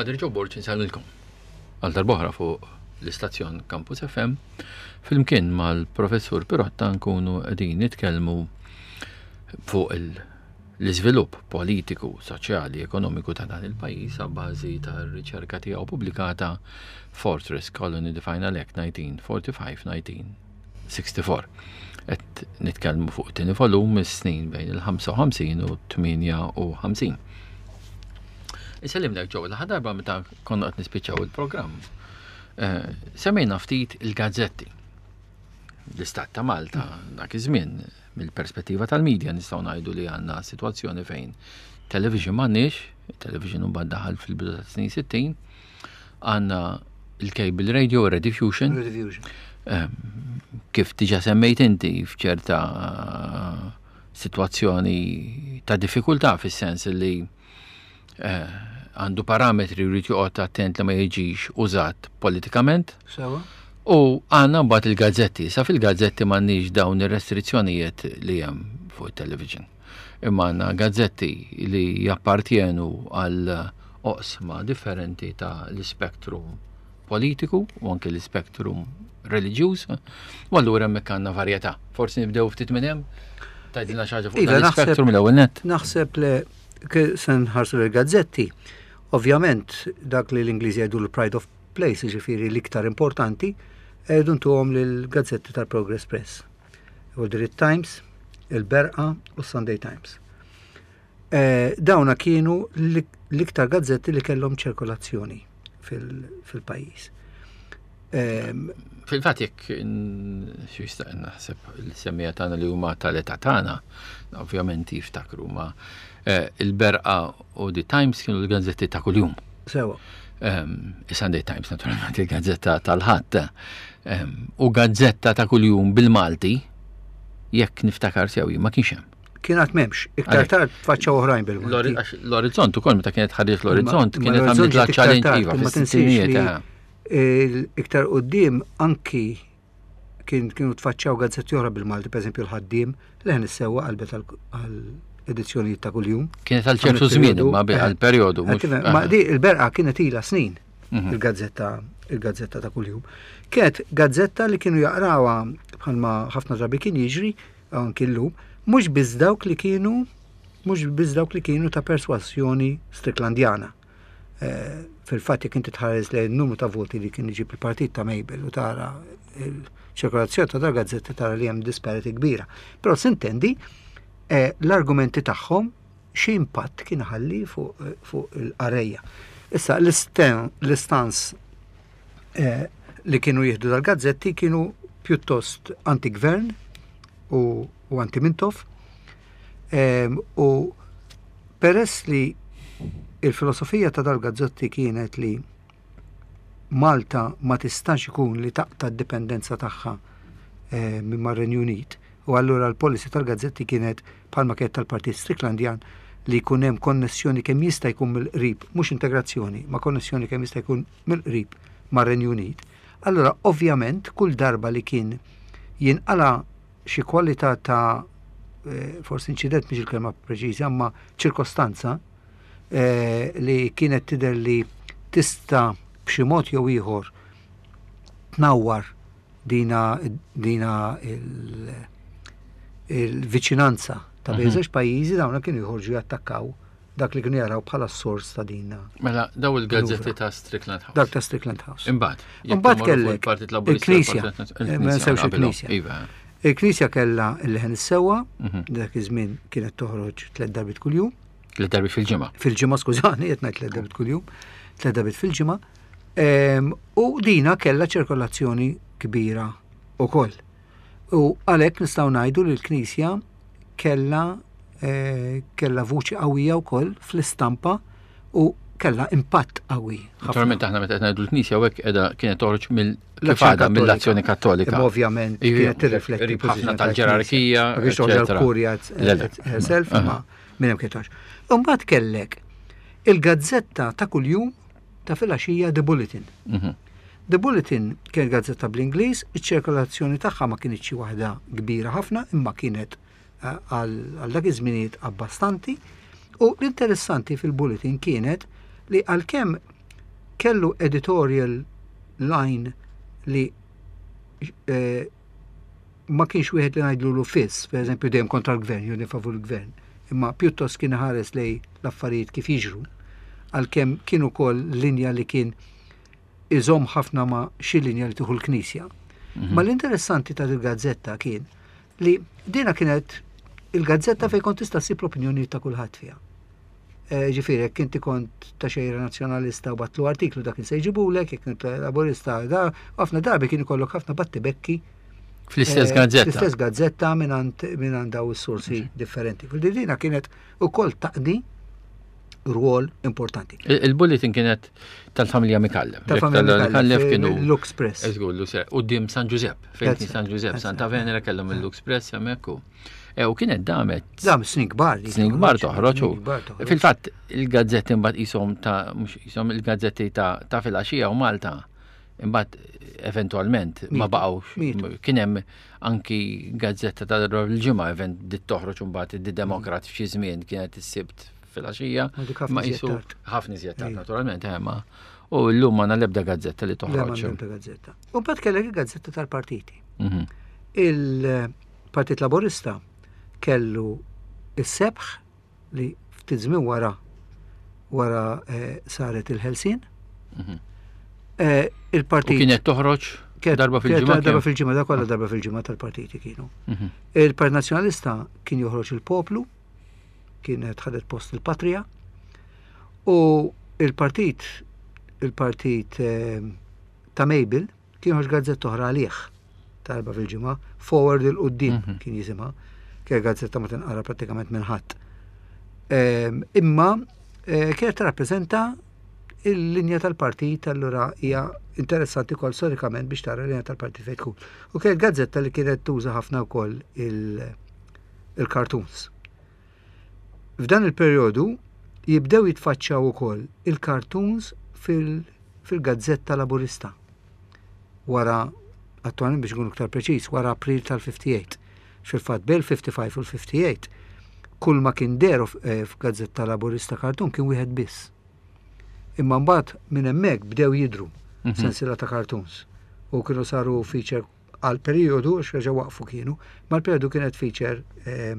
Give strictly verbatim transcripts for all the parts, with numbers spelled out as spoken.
Father Joe Borg insellmilkom. Għal darb'oħra fuq l-istazzjon Campus F M flimkien mal-professur Pirotta nkunu qegħdin nitkellmu fuq l-iżvilupp politiku, soċjali, ekonomiku ta' dan il-pajjiż a bażi tar-riċerka tiegħu pubblikata Fortress Colony: The Final Act nineteen forty-five nineteen sixty-four. Qed nitkellmu fuq tieni volum, is-snin bejn il-ħamsa u ħamsin u tmienja u ħamsin. Insellimlek, Joe, l darba meta konna qed nispiċċaw il-programm. Eh, semmejna ftit il-gazzetti. L-Istat ta' Malta dak iż-żmien, mill-perspettiva tal-medja, nistgħu ngħidu li għandna sitwazzjoni fejn television m'għandniex, television mbagħad daħal fil-bidu ta' snin sittin, għandna il-cable radio, Rediffusion. Rediffusion. Kif diġà semmejt inti, f'ċerta situazzjoni ta' diffikultà, fis-sens li eh, għandu parametri, jrid joqgħod attent li ma jiġix użat politikament. Sewa. U għandna mbagħad il-gazzetti. Sa fil-gazzetti m'għandniex dawn ir-restrizzjonijiet li hemm fuq it-television. Imma għandna gazzetti li jappartjenu għal oqsma differenti ta' l-spektrum politiku u anke l-spektrum reliġjuż. U allura hemmhekk għandna varjetà. Forsi nibdew ftit minn hemm? Tgħidilna xi ħaġa fuq Iva, dan l-spektrum l-ewwel nett. Naħseb li se nħarsu l-gazzetti, ovvjament dak li l-Ingliżi jgħidu l-pride of place, ġifieri l-iktar importanti, għedu ntuhom l-gazzetti tal-Progress Press. U The Times, il-Berqa u Sunday Times. Eh, dawna kienu l-iktar gazzetti li kellhom ċirkolazzjoni fil-pajjiż. Fil-fatt, jekk xi jista' naħseb il-semmiegħa tagħna li huma tal-età tagħna, ovvjament jiftakru, ma eh, il-Berqa u The Times kienu l-gazzetti ta' kuljum. Sewa. Sunday Times, naturalment, il-gazzetta tal-Ħadd. U gazzetta ta' kuljum bil-Malti, jekk niftakar sewi, ma kienx hemm. Kienet m'hemmx, iktar tard faċċaw oħrajn bil-Malti. L-Orizzont ukoll, meta kienet ħarġet l-Orizzont, kienet għamlet la challenge, iva, fis-sittinijiet. Iktar quddiem anki kien kienu tfaċċaw gazzetti oħra bil-Malti, per eżempju l-Ħaddiem, Leħen is-Sewwa qalbet għal edizzjonijiet ta' kuljum. Kienet għal ċertu żmien, ma għal perjodu. Ma di il-Berqa kienet ilha snin, mhm. il-gazzetta il-gazzetta ta' kuljum. Kienet gazzetta li kienu jaqrawha, bħalma ħafna drabi kien jiġri anki llum, mhux biss dawk li kienu mhux biss dawk li kienu ta' perswazzjoni Stricklandjana. Eh, fil-fatt, jekk inti tħares lejn numru ta' voti li kien iġib il-partit ta' Mabel u tara il-ċirkolazzjoni ta' dal gazzetti, tara li hemm disparity kbira. Però s'intendi eh, l-argumenti tagħhom xi impatt kien ħalli fuq il-qarrejja. Issa l-istance eh, li kienu jieħdu dal-gazzetti kienu pjuttost anti-gvern u, u anti-Mintoff. U peress li il-filosofija ta' dal-gazzetti kienet li Malta ma tistax ikun li taqta' d-dipendenza tagħha eh, minn mar-Renju Unit, u allura l-policy tal-gazzetti kienet, bħalma kienet tal-Partit Stricklandjan, li jkun hemm konnessjoni kemm jista' jkun mill-qrib, mhux integrazzjoni, ma konnessjoni kemm jista' jkun mill-qrib mar-Renju Unit. Allura ovvjament kull darba li kien jinqala xi kwalità ta' eh, forsi inċident mhix il-kelma preċiża, ma ċirkostanza eh, li kienet tidher li tista' b'xi mod jew ieħor tnawwar dina dina il-viċinanza ta' bejn mhm. żewġ pajjiżi, dawna kienu jħorġu jattakkaw dak li kienu jaraw bħala s-sors ta' din. Mela, daw il-gazzetti ta' Strickland House. Dak ta' Strickland House. Imbagħad. Imbagħad kellek il-Knisja. Eh, ma nsewx il-Knisja. Iva. Il-Knisja kellha il-Leħen is-Sewwa, mhm. dak iż-żmien kienet toħroġ tliet darbiet kuljum. Tliet darbiet fil-ġimgħa. Fil-ġimgħa, skużani, qed ngħid tliet darbiet kuljum, tliet darbiet fil-ġimgħa. U dina kellha ċirkolazzjoni kbira ukoll. U għalhekk nistgħu ngħidu li l-Knisja kella eh, kella vuċi qawwija wkoll fl-istampa u kella impatt qawwi. Naturalment, aħna meta qed ngħidu l-Knisja hekk qiegħda, kienet toħroġ mill kif għadha mill-Azzjoni Kattolika. Imma ovvjament kienet tirrifletti ħafna tal-ġerarkija. Ma kienx toħroġ l-kurja herself, ma minn hemm kien toħroġ. Imbagħad kellek il-gazzetta ta' kuljum ta' filgħaxija, The Bulletin. Mhm. The Bulletin kienet gazzetta bl-Ingliż, iċ-ċirkolazzjoni tagħha ma kienx xi waħda kbira ħafna, imma kienet eh, għal dak iż-żminijiet abbastanti. U l-interessanti fil-Bulletin kienet li għalkemm Kellu editorial line li eh, ma kienx wieħed li ngħidlu fiss, per eżempju dejjem kontra l-gvern, jew favur il-gvern, imma pjuttost kien ħares lej l-affarijiet kif jiġru, għalkemm kien ukoll linja li kien iżomm ħafna ma' xi linja li tieħu l-Knisja. Mhm. Ma l-interessanti ta' il-gazzetta kien li dina kienet il-gazzetta fejn kont tista' ssib l-opinjoni ta' kulħadd fiha. Eh, Ġifieri, jekk inti kont ta' xejra nazzjonalista u batlu artiklu dak se jġibulek, jekk kont laburista, da, ħafna drabi kien ikollok ħafna battibekki Fl-istess eh, gazzetta. Fl-istess gazzetta minn daw is-sorsi differenti. Fil-dina kienet ukoll taqdi rwol importanti. Il-bulletin kienet tal-familja Micallef. Tal-familja Micallef kienu. Lux Press. Eżgur, Lux Quddiem San Giuseppe, fejn kien San Giuseppe, Santa Venera kellhom il-Lux Press hemmhekk u. E, u kienet damet. Dam snin kbar. Snin kbar toħroġ u. Fil-fatt il-gazzetti mbagħad qishom ta' mhux qishom il-gazzetti ta' ta' filgħaxija u Malta imbagħad eventwalment ma baqgħux. Kien hemm anki gazzetta ta' darba fil-ġimgħa event dit toħroġ imbagħad id-Demokrat f'xi żmien kienet is-Sibt filgħaxija. Ma jisu ħafna iżjed tard naturalment, eh, ma. U llum ma l-ebda gazzetta li toħroġ. L-ebda gazzetta. U mbagħad kellek il-gazzetta tal-partiti. Mhm. Il-Partit Laburista kellu is-sebħ li ftit żmien wara wara eh, saret il-Ħelsien. Mhm. Eh, Il-partit U kienet toħroġ darba fil-ġimgħa. Darba fil-ġimgħa, da kollha darba fil-ġimgħa tal-partiti kienu. Mhm. Il-Partit Nazzjonalista kien joħroġ il-Poplu, kienet ħadet post il-Patria, u il-partit il-partit eh, ta' Mabel kien joħroġ gazzetta oħra għalih darba fil-ġimgħa, Forward 'il quddiem Mhm. kien jisimha, kien gazzetta ma tinqara prattikament minn ħadd. Ehm, Imma eh, kienet tirrappreżenta il-linja tal-partit allura hija interessanti wkoll storikament biex tara l-linja tal-partit fejn tkun. U kienet gazzetta li kienet tuża ħafna wkoll il- il-cartoons. F'dan il-perjodu jibdew jitfaċċaw ukoll il-cartoons fil- fil-gazzetta laburista. Wara, attualment biex nkunu iktar preċiż, wara April tal-ħamsa u ħamsin. Fil-fatt bejn il-ħamsa u ħamsin u l-ħamsa u ħamsin kull ma kien deru eh, f'gazzetta laburista cartoon kien wieħed biss. Imma mbagħad minn hemmhekk bdew jidru Mhm. sensiela ta' cartoons u kienu saru feature għal periodu, għax reġa' waqfu kienu, ma l-periodu kienet feature eh,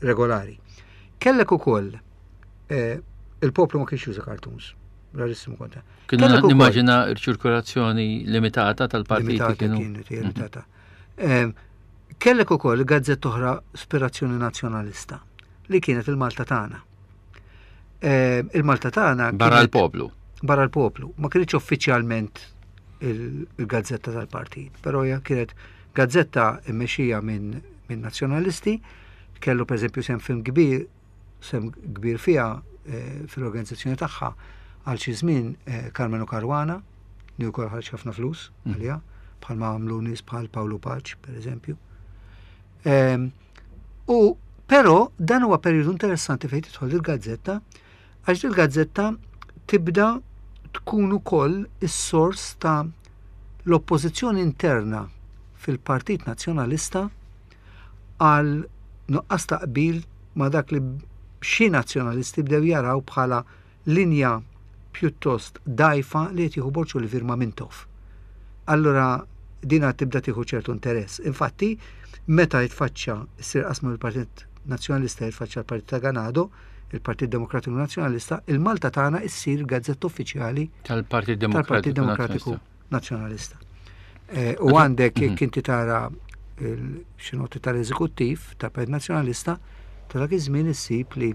regolari. Kellek ukoll eh, il-poplu ma kienx juża cartoons, rarissimu konta. Kienu Kellek ukoll- nimmaġina ċirkolazzjoni limitata tal-partiti Limitata kienu. kienet, hija limitata. Ehm, Kellek ukoll gazzetta oħra ispirazzjoni nazzjonalista li kienet il-Malta tagħna. Ehm, Il-Malta tagħna Barra kienet- l-poplu. barra l-poplu. Ma kienx uffiċjalment il- il-gazzetta tal-partit, però hija kienet gazzetta mmexxija minn min nazzjonalisti, kellu per eżempju sem film kbir, sem kbir fiha eh, fil-organizzazzjoni tagħha għal xi żmien eh, Karmenu Caruana, li wkoll ħareġ ħafna flus Mm. għaliha, bħalma għamlu nies bħal Pawlu Pace, per eżempju. Ehm, U però dan huwa perjodu interessanti fejn tidħol il-gazzetta, għax il-gazzetta tibda tkun ukoll is-sors ta' l-oppożizzjoni interna fil-Partit Nazzjonalista għal nuqqas ta' qbil ma' dak li xi nazzjonalisti bdew jaraw bħala linja pjuttost dajfa li qed jieħu Borg Olivier ma' Mintoff. Allura dina tibda tieħu ċertu interess. Infatti, meta jitfaċċa ssir qasma mill-Partit Nazzjonalista jitfaċċa l-Partit ta' Ganado, il-Partit Demokratiku Nazzjonalista, il-Malta tagħna issir gazzetta uffiċjali Tal-Partit tal-Partit Demokratiku Demokratiku Nazzjonalista. Nazzjonalista. Eh, U għandek Mhm. jekk inti tara il- xi noti tal-eżekuttiv tal-Partit Nazzjonalista, ta' dak iż-żmien issib li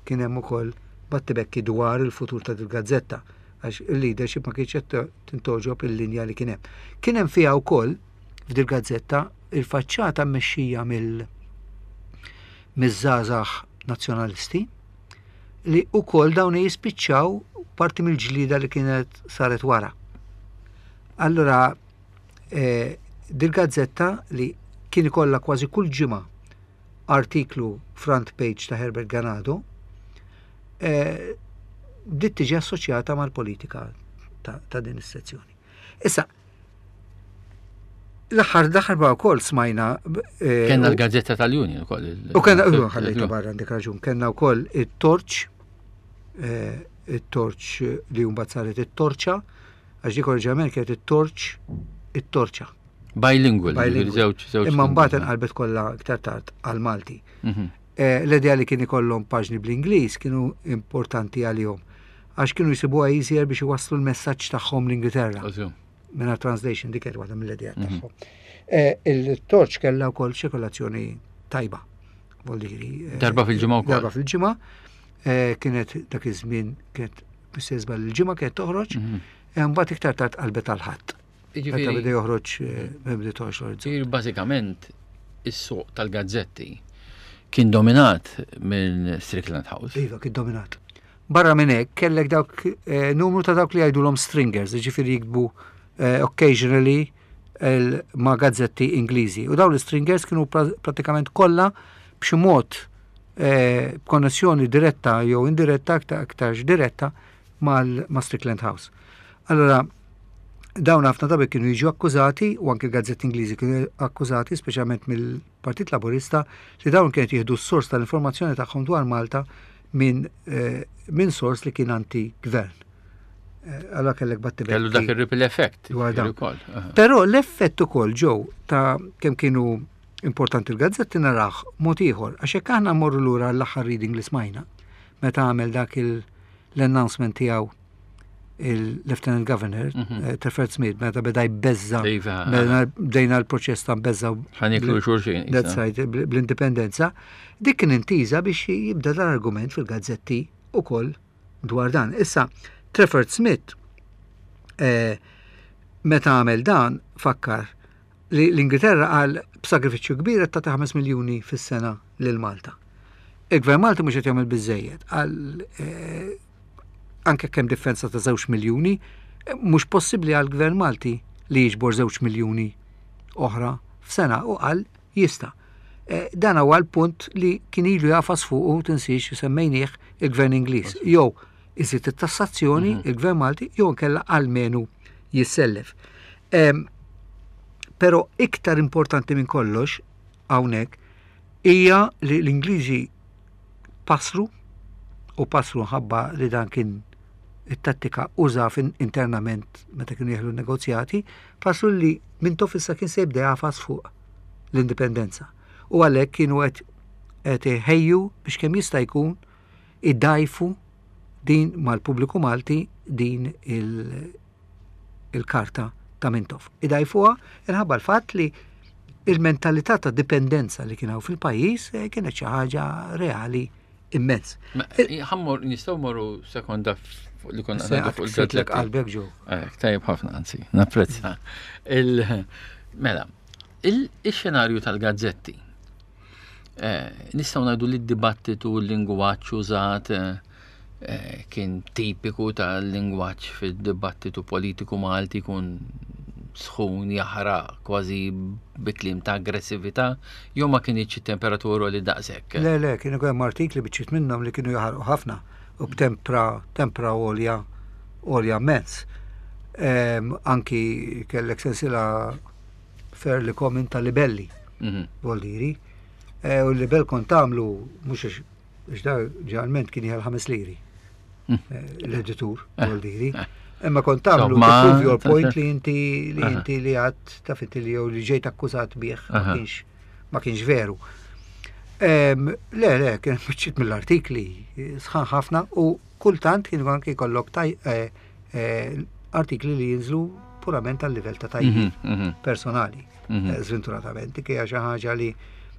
kien hemm ukoll battibekki dwar il-futur ta' dil-gazzetta għax il-leadership ma kienx qed tintgħoġob il-linja li kien hemm. Kien hemm fiha wkoll f'dil gazzetta il-faċċata mmexxija mill miż-żgħażagħ nazzjonalisti li wkoll dawn jispiċċaw parti mill-ġlida li kienet saret wara. Allora, eh, dil-gazzetta li kien ikollha kważi kull ġimgħa artiklu front page ta' Herbert Ganado, eh, dit tiġi assoċjata mal-politika ta', ta' din is-sezzjoni. Issa, l-aħħar l-aħħar ba' wkoll smajna eh, Kenna u- l-gazzetta tal-Union ukoll. il- U kenna, il- u ħallejta barra għandek raġun, kenna wkoll it-Torch, eh, it-Torch li mbagħad saret it-Torċa, għax dik oriġinalment kienet it-Torch, it-Torċa. Bilingual, Bilingual. żewġ żewġ. Imma mbagħad inqalbet kollha iktar tard għal Malti. Mhm. Eh, L-idea li kien ikollhom paġni bl-Ingliż kienu importanti għalihom, għax kienu jsibuha easier biex iwasslu l-messaġġ tagħhom l-Ingilterra. Ożju. Minna translation, dik kienet waħda mill-idea Mhm. tagħhom. Eh, Il-Torch kellha wkoll ċirkolazzjoni tajba. Voldiri. eh, Darba fil-ġimgħa wkoll. Darba fil-ġimgħa. eh, Kienet dak iż-żmien, kienet bistezba l-ġimgħa kienet toħroġ, Mhm. eh, mbagħad iktar tard qalbet għal-Ħadd. Meta Jiġifieri- beda joħroġ eh, beda toħroġ l-Orizzont. Ġifieri bażikament is-suq tal-gazzetti kien dominat minn Strickland House. Iva, kien dominat. Barra minn hekk kellek dawk eh, numru ta' dawk li jgħidulhom stringers, jiġifieri jiktbu eh, occasionally el- ma' gazzetti Ingliżi. U dawn l-stringers kienu pra- pratikament kollha b'xi mod eh, b'konnessjoni diretta jew indiretta, aktar aktarx diretta mal ma' Strickland House. Allora, dawn ħafna drabi kienu jiġu akkużati, u anke l-gazzetti Ingliżi kienu akkużati, speċjalment mill-Partit Laburista, li dawn kienet jieħdu s-sors tal-informazzjoni tagħhom dwar Malta minn eh, min sors li kien anti-gvern. Eh, Allora kellek battibetti. Kellu dak ir-ripple effect. Dwar dan. Ukoll. Aha. Però l-effett ukoll ġew ta' kemm kienu importanti l-gazzetti naraħ mod ieħor, għax hekk aħna mmorru lura l-aħħar reading li smajna, meta għamel dak il- l-announcement tiegħu il-Lieutenant Governor, Mhm. eh, Treffert Smith, meta beda jbeżza, Iva, meta bdejna l-proċess ta' mbeżza Ħa nieklu xulxin. that's right, bl- bl-indipendenza, dik kien intiża biex jibda dan argument fil-gazzetti ukoll dwar dan. Issa, Treffert Smith, eh, meta għamel dan, fakkar li l-Ingilterra għal b'sagrifiċċju kbir qed tagħti ħames miljuni fis-sena lil Malta. Il-Gvern Malti mhux qed jagħmel biżejjed, għal eh, anke kemm differenza ta' żewġ miljuni, eh, mhux possibbli għal Gvern Malti li jiġbor żewġ miljuni oħra f'sena, u qal jista'. Eh, Dan huwa l-punt li kien ilu jafas fuq u tinsiex semmejnieh il-Gvern Ingliż. Jew iżid it-tassazzjoni il-Gvern Malti jew inkella almenu jissellef. Em, Però iktar importanti minn kollox hawnhekk hija li l-Ingliżi pasru u pasru ħabba li dan kien it-tattika uża fin internament meta kienu jeħlu negozjati, pasru li Mintoff issa kien se jibda jafas fuq l-indipendenza. U għalhekk kienu qed qed iħejju biex kemm jista' jkun iddajfu din mal-pubbliku Malti din il- il-karta ta' Mintoff. Idajfuha inħabba l-fatt li il-mentalità ta' dipendenza li kien hawn fil-pajjiż eh, kienet xi ħaġa reali immens. Ħa mmur, nistgħu mmorru sekonda fuq li konna Se ngħidu fuq ksirtlek il-gazzetti. qalbek ġew. Eh, Tajjeb ħafna, anzi, napprezza. Il- Mela, il-xenarju tal-gazzetti. Eh, Nistgħu ngħidu li d-dibattitu, l-lingwaġġ użat eh, eh, kien tipiku tal-lingwaġġ fid-dibattitu politiku Malti, kun sħun, jaħraq, kważi bi kliem ta' aggressività, jew ma kinitx it-temperatura li daqshekk? Le, le, kienu hemm artikli, biċċiet minnhom li kienu jaħarqu ħafna u b'tempra tempra għolja għolja immens. Em, Anki kellek sensila fairly common ta' libelli, Mhm. voldiri. E, u l-libel kont tagħmlu mhux għax għax da ġeneralment kien jieħel ħames liri. Mm. Eh, L-editur, Eh, voldiri. eh. Imma kont tagħmlu Insomma, to prove your ta- point li inti li Aha. inti li għad taf inti li jew li ġejt akkużat bih ma Aha. kienx ma kienx veru. Em, Le, le, kien biċċiet mill-artikli sħan ħafna u kultant kien anke jkollok taj eh, eh, artikli li jinżlu purament għal livell ta' tajjeb Mhm, mhm, personali, mhm. eh, sventuratament, dik hija xi ħaġa li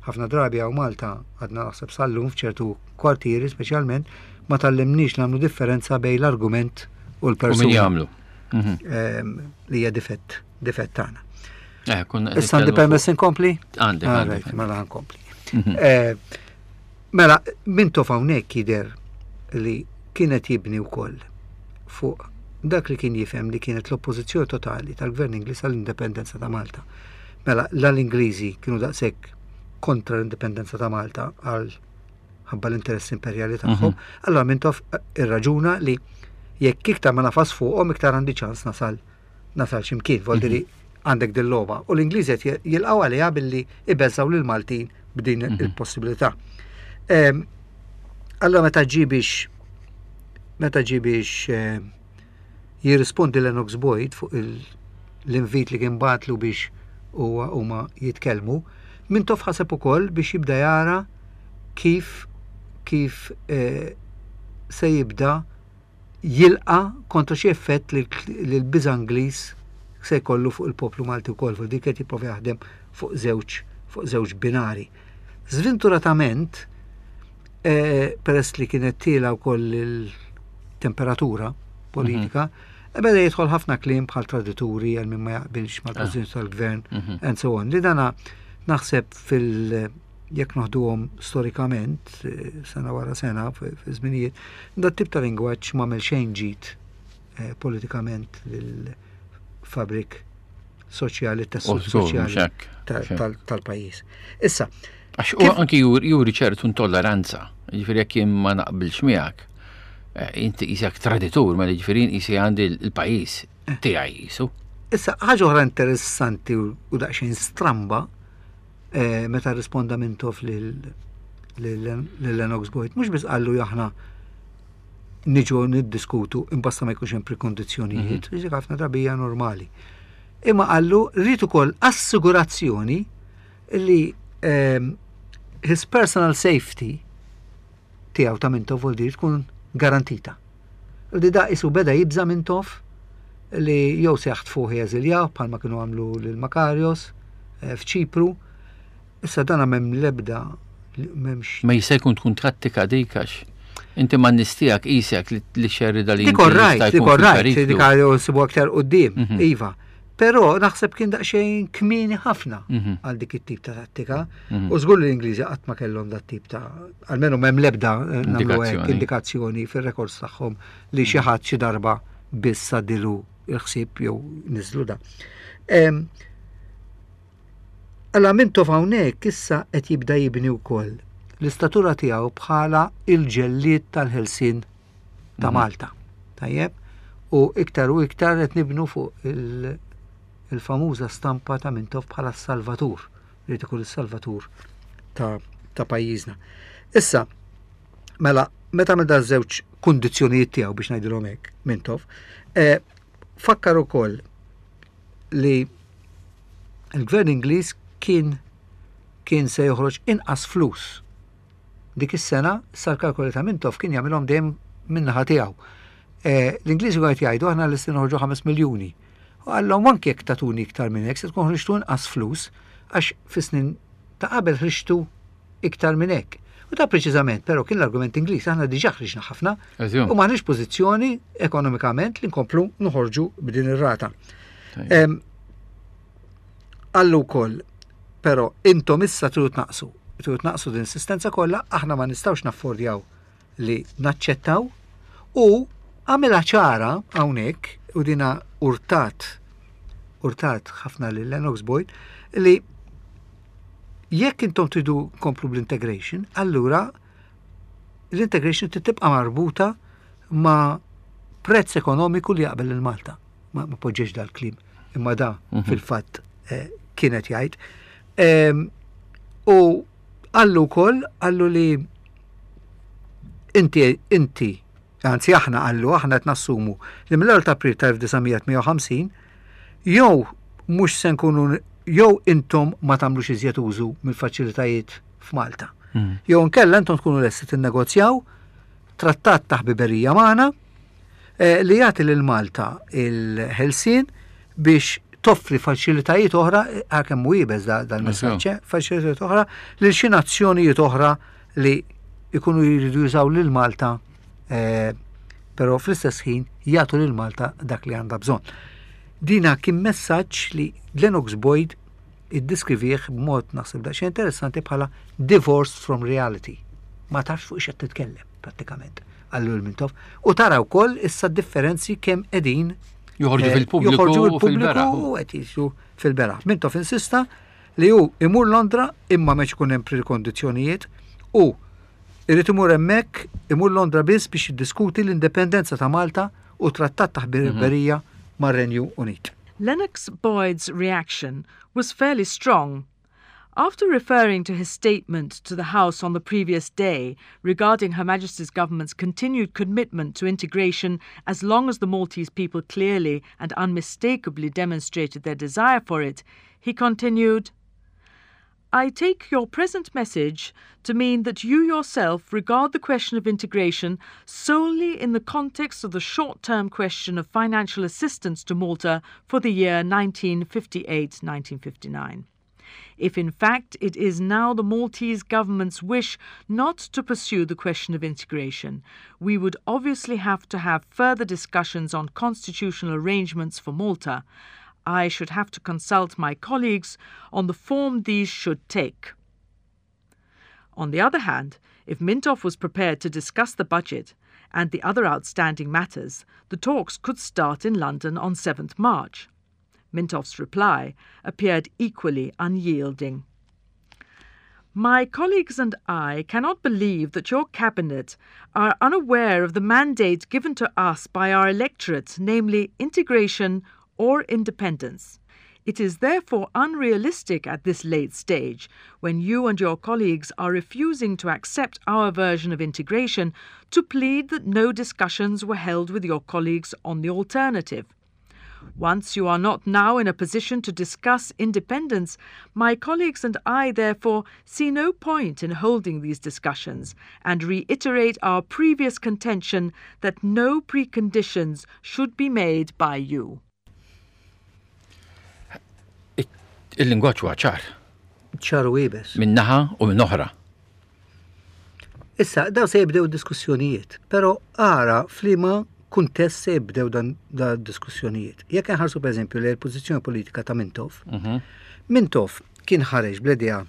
ħafna drabi hawn Malta għadna naħseb sal-lum f'ċertu kwartieri speċjalment ma tgħallimniex nagħmlu differenza bejn l-argument u U min l-persuna jagħmlu? Mhm. em, li hija difett difett tagħna. Eh, konna qed Issa għandi nitkellmu permess inkompli? fuq- Għandek, Ah, għandek. right, mela nkompli. Mhm. Eh, Mela, Mintoff hawnhekk jidher li kienet jibni wkoll fuq dak li kien jifhem li kienet l-oppożizzjoni totali tal-Gvern Ingliż għall-indipendenza ta' Malta. Mela, la l-Ingliżi kienu daqshekk kontra l-indipendenza ta' Malta għal ħabba l-interess imperjali tagħhom, allora Mintoff irraġuna li jekk iktar ma nafas fuqhom iktar għandi ċans nasal nasal x'imkien, voldiri għandek dil-logħba. U l-Ingliżi qed jilqgħu għaliha billi ibeżgħu lil Maltin b'din il-possibilità. Em, Allora meta ġi biex meta ġie biex eh, jirrispondi Lennox Boyd fuq l-invit li kien bagħatlu biex huwa huma jitkellmu, Mintoff ħaseb ukoll biex jibda jara kif kif eh, se jibda jilqa kontra xi effett li l-biża' Ingliż se jkollu fuq il-poplu Malti wkoll, fuq dik qed jipprova jaħdem fuq żewġ fuq żewġ binari. Sventuratament, eh, peress li kienet tiela wkoll il-temperatura politika, mm -hmm. beda jidħol ħafna kliem bħal tradituri għal min ma jaqbilx mal-pożizzjoni tal-gvern mm -hmm. and so on. Li dana naħseb fil- jekk noħduhom storikament, eh, sena wara sena, fi żminijiet, dat tip ta' lingwaġġ m'għamel xejn ġid eh, politikament lil-fabrik soċjali, tessut soċjali tal-pajjiż. Issa. Għax u anki juri ċertu intolleranza, ġifieri jekk jien ma naqbilx miegħek, eh, inti qisek traditur, ma ġifieri qisi għandi l-pajjiż tiegħi qisu. Issa, ħaġa oħra interessanti u daqsxejn stramba eh, meta risponda Mintoff lil Lennox Boyd, mhux biss qallu aħna niġu niddiskutu imbasta ma jkunx hemm prekondizzjonijiet, mm ħafna drabi hija normali. Imma qallu rrid ukoll assigurazzjoni li um, his personal safety tiegħu ta' Mintoff vuol tkun garantita. Li da isu beda jibża Mintoff li jew se jaħtfuh jeżiljaw bħalma kienu għamlu lil Makarios eh, f'Ċipru. Issa dana m'hemm lebda m'hemmx. Ma jista' jkun tkun tattika dik għax inti ma nistijak isek li xerrida li Dik right, dik right, dik nsibu aktar quddiem, mhm. iva. Però naħseb kien daqsxejn kmieni ħafna mhm. għal dik it-tip ta' tattika. Mhm. U żgur li l-Ingliżi qatt ma kellhom dat tip ta' almenu m'hemm lebda eh, indikazzjoni fir-rekords tagħhom li xi ħadd xi darba biss għaddilu il-ħsieb jew niżlu da. Alla Mintoff hawnhekk issa qed jibda jibni wkoll l-istatura tiegħu bħala il-ġellied tal-ħelsien ta' mhm. Malta. Tajjeb? U iktar u iktar qed nibnu fuq il-famuża stampa ta' Mintoff bħala s-Salvatur, li ikun is-Salvatur ta', ta' pajjiżna. Issa, mela, meta meta żewġ kundizzjonijiet tiegħu biex ngħidilhom hekk Mintoff, eh, fakkar ukoll li il-gvern Ingliż kien kien se joħroġ inqas flus dik is-sena sar kalkoli ta' Mintoff kien jagħmilhom dejjem min-naħa tiegħu. Eh, L-Ingliżi qed jgħidu aħna lesti noħorġu ħames miljuni. U qallhom anke jekk tatuni iktar minn hekk se tkun ħriġtu inqas flus għax fis-snin ta' qabel ħriġtu iktar minn hekk. U ta' preċiżament, però kien l-argument Ingliż, aħna diġà ħriġna ħafna u m'aħniex pożizzjoni ekonomikament li nkomplu noħorġu b'din ir-rata. Qallu wkoll, però intom issa tridu tnaqsu, tridu tnaqsu din assistenza kollha, aħna ma nistgħux naffordjaw li naċċettaw u għamilha ċara hawnhekk u dina urtat urtat ħafna lil Lennox Boyd li jekk intom tridu komplu bl-integration, allura l-integration tibqa' marbuta ma' prezz ekonomiku li jaqbel il-Malta. Ma, ma poġġex dal-kliem, imma da mm -hmm. fil-fatt eh, kienet jgħid. U qallu wkoll, qallu li inti, inti, anzi aħna qallu, aħna qed nassumu li mill-ewwel ta' April ta' elf disa' mija tmienja u ħamsin jew mhux se nkunu jew intom ma tagħmlux iżjed użu mill-faċilitajiet f'Malta. Mm. Jew nkella intom tkunu lesti tinnegozjaw trattat ta' ħbiberija magħna eh, li jagħti lil Malta il-ħelsien biex toffri faċilitajiet oħra, għalkemm hu iebes dal-messaġġ, eh, faċilitajiet oħra lil xi nazzjonijiet oħra li ikunu jridu jużaw lil Malta, eh, però fl-istess ħin jagħtu lil Malta dak li għandha bżonn. Dina kien messaġġ li Lennox Boyd iddiskrivih b'mod naħseb daqsxejn interessanti bħala divorced from reality. Ma tafx fuq x'qed titkellem prattikament, qallu lil Mintoff. U tara wkoll issa differenzi kemm qegħdin joħorġu eh, fil-pubbliku joħorġu fil-pubbliku u qed jiġu fil-beraħ. Mintoff insista li hu imur Londra imma m'hemmx ikun hemm prekondizzjonijiet u irid imur hemmhekk, imur Londra biss biex jiddiskuti l-indipendenza ta' Malta u trattat ta' ħbiberija mar-Renju Unit. Lennox Boyd's reaction was fairly strong. After referring to his statement to the House on the previous day regarding Her Majesty's government's continued commitment to integration as long as the Maltese people clearly and unmistakably demonstrated their desire for it, he continued, I take your present message to mean that you yourself regard the question of integration solely in the context of the short term question of financial assistance to Malta for the year nineteen fifty-eight nineteen fifty-nine. If in fact it is now the Maltese government's wish not to pursue the question of integration, we would obviously have to have further discussions on constitutional arrangements for Malta. I should have to consult my colleagues on the form these should take. On the other hand, if Mintoff was prepared to discuss the budget and the other outstanding matters, the talks could start in London on seventh March. Mintoff's reply appeared equally unyielding. My colleagues and I cannot believe that your cabinet are unaware of the mandate given to us by our electorate, namely integration or independence. It is therefore unrealistic at this late stage, when you and your colleagues are refusing to accept our version of integration, to plead that no discussions were held with your colleagues on the alternative. Once you are not now in a position to discuss independence, my colleagues and I therefore see no point in holding these discussions and reiterate our previous contention that no preconditions should be made by you. Il-lingwaġġ huwa ċar. Ċar u iebes. Minn naħa u minn oħra. Issa, daw se jibdew diskussjonijiet, pero ara f'liema kuntest se jibdew dan da diskussjonijiet. Jekk nħarsu, per eżempju, li l-pożizzjoni politika ta' Mintoff, Mhm. Mintoff kien ħareġ bl-idea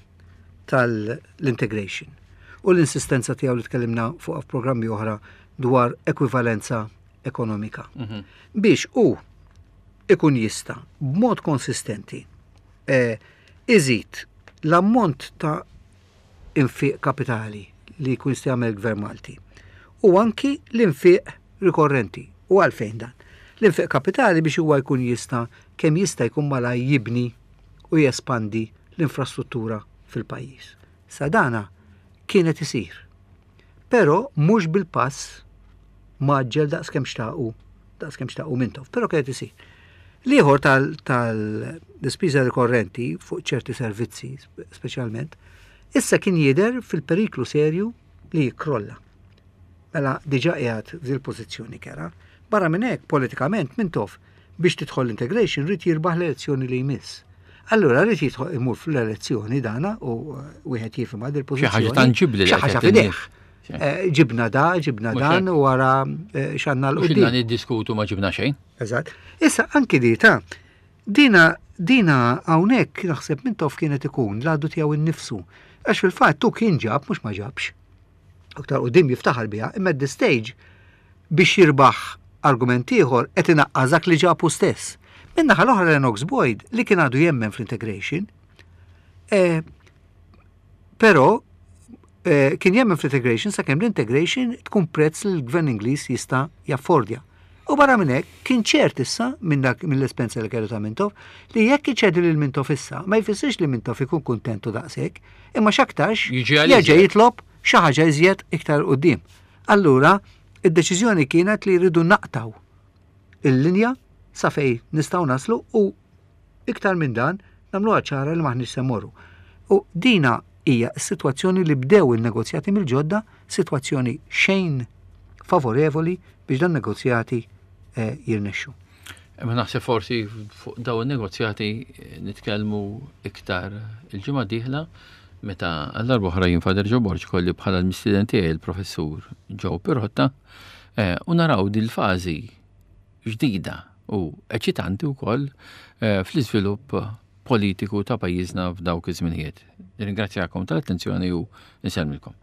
tal-integration u l-insistenza tiegħu li tkellimna fuq f'programmi oħra dwar ekwivalenza ekonomika. Mhm. Biex u ikun jista b'mod konsistenti eh, iżid l-ammont ta' infiq kapitali li jkun jista' jagħmel gvern Malti u anki l-infiq rikorrenti. U għalfejn dan? L-infiq kapitali biex huwa jkun jista' kemm jista' jkun malaj jibni u jespandi l-infrastruttura fil-pajjiż. Sa dana kienet isir. Però mhux bil-pass mgħaġġel daqs kemm xtaqu, daqs kemm xtaqu Mintoff, però kienet isir. L-ieħor tal-ispiża rikorrenti fuq ċerti servizzi speċjalment, issa kien jidher fil-periklu serju li jikrolla. Mela diġà qiegħed f'dil pożizzjoni kera. Barra minn hekk, politikament, Mintoff biex tidħol l-integration rrid jirbaħ l-elezzjoni li jmiss. Allura rrid jidħol imur fl-elezzjoni dana u uh, wieħed jifhem għad Xi il-pożizzjoni. Ħaġa tanġibbli li Xi ħaġa qed f'idejh. Xi. Eh, Ġibna da, ġibna Mhux dan hekk. u wara eh, x'għandna Mhux 'l quddiem. ilna niddiskutu, ma ġibna xejn. Eżatt. Issa anki di ta' dina dina hawnhekk naħseb Mintoff kienet ikun l-għadu tiegħu innifsu. Għax fil-fatt tu kien ġab, mhux ma ġabx. Aktar quddiem jiftaħar biha, imma at the stage biex jirbaħ argument ieħor qed inaqqas dak li ġabu stess. Min-naħa l-oħra, Lennox Boyd, li kien għadu jemmen fl-integration, eh, però eh, kien jemmen fl-integration sakemm l-integration tkun prezz li l-gvern Ingliż jista' jaffordja. U barra minn hekk kien ċert issa minn dak mill-esperjenza li kellu ta' Mintoff li jekk iċedi lil Mintoff issa ma jfissirx li Mintoff ikun kuntentu daqshekk, imma x'aktarx Jiġi għal jerġa' iżjed. jitlob xi ħaġa iżjed iktar quddiem. Allura id-deċiżjoni kienet li jridu naqtaw il-linja sa fej nistgħu naslu u iktar minn dan nagħmluha ċara li maħniex se mmorru. U dina hija s-sitwazzjoni li bdew il-negozjati mill-ġodda, sitwazzjoni xejn favorevoli biex dan negozjati eh, jirnexxu. Imma naħseb forsi fuq daw il-negozjati eh, nitkellmu iktar il-ġimgħa dieħla, meta għall-darba oħra jien, Father Joe Borg, kolli bħala l-mistieden tiegħi il-professur Joe Pirotta eh, u naraw dil-fażi ġdida u eċitanti wkoll eh, fl-iżvilupp politiku ta' pajjiżna f'dawk iż-żminijiet. Nirringrazzjakom tal-attenzjoni u nsellmilkom.